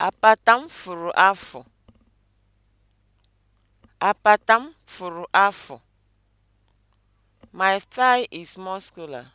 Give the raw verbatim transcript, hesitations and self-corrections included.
Apata m fụrụ afụ. Apata m fụrụ afụ. My thigh is muscular.